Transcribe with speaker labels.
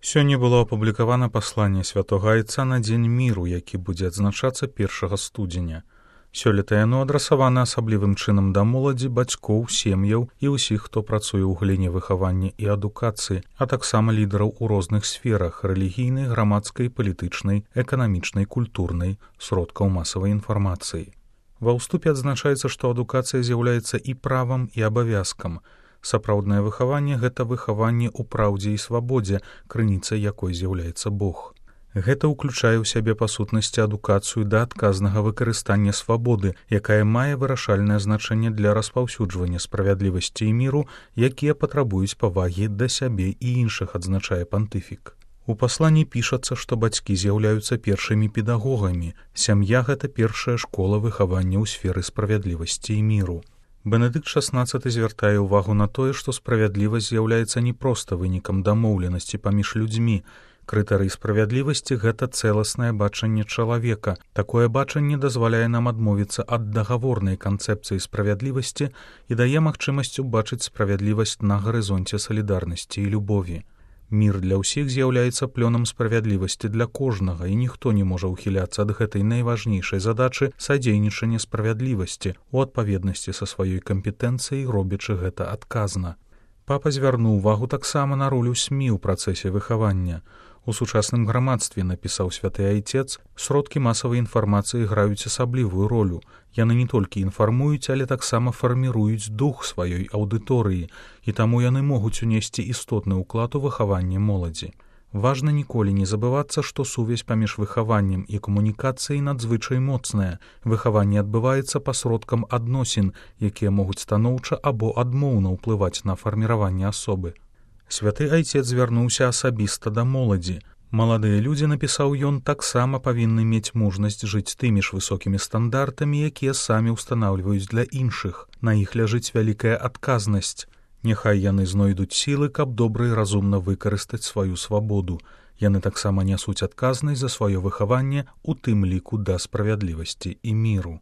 Speaker 1: Сёння было апублікавана пасланне святога айца на дзень міру, які будзе адзначацца 1 студзеня. Сёлета яно адрасавана асаблівым чынам да моладзі, бацькоў, сем'яў і ўсіх, хто працуе ў галіне выхавання і адукацыі, а таксама лідараў у розных сферах рэлігійнай, грамадскай, палітычнай, эканамічнай, культурнай, сродкаў масавай інфармацыі. Ва ўступе адзначаецца, што адукацыя з'яўляецца і правам, і абавязкам. Сапраўднае выхаванне – гэта выхаванне ў праўдзе і свабодзе, крыніцай якой з'яўляецца Бог. Гэта ўключае ў сябе па сутнасці адукацыю да адказнага выкарыстання свабоды, якая мае вырашальнае значэнне для распаўсюджвання справядлівасці і міру, якія патрабуюць павагі да сябе і іншых, адзначае пантыфік. У пасланні пішацца, што бацькі з'яўляюцца першымі педагогамі, сям'я – гэта першая школа выхавання ў сферы справядлівасці і міру. Бенедыкт XVI звяртае ўвагу на тое, што справядлівасць з'яўляецца не проста вынікам дамоўленасці паміж людзьмі. Крытэрый справядлівасці – гэта цэласнае бачанне чалавека. Такое бачанне дазваляе нам адмовіцца ад дагаворнай канцэпцыі справядлівасці і дае магчымасць убачыць справядлівасць на гарызонце салідарнасці і любові. Мір для ўсіх з'яўляецца плёнам справядлівасці для кожнага, і ніхто не можа ўхіляцца ад гэтай найважнейшай задачы садзейнічання справядлівасці у адпаведнасці са сваёй кампетэнцыяй, робячы гэта адказна. Папа звярнуў увагу таксама на ролю СМІ ў працэсе выхавання. У сучасным грамадстве, напісаў святы айцец, сродкі масавай інфармацыі граюць асаблівую ролю. Яны не толькі інфармуюць, але таксама фарміруюць дух сваёй аўдыторыі, і таму яны могуць унесці істотны ўклад у выхаванне моладзі. Важна ніколі не забывацца, што сувязь паміж выхаваннем і камунікацыяй надзвычай моцная. Выхаванне адбываецца пасродкам адносін, якія могуць станоўча або адмоўна ўплываць на фарміраванне асобы. Святы айцец звярнуўся асабіста да моладзі. Маладыя людзі, напісаў ён, таксама павінны мець мужнасць жыць тымі ж высокімі стандартамі, якія самі ўстанаўліваюць для іншых. На іх ляжыць вялікая адказнасць. Няхай яны знойдуць сілы, каб добра і разумна выкарыстаць сваю свабоду. Яны таксама нясуць адказнасць за сваё выхаванне, у тым ліку да справядлівасці і міру.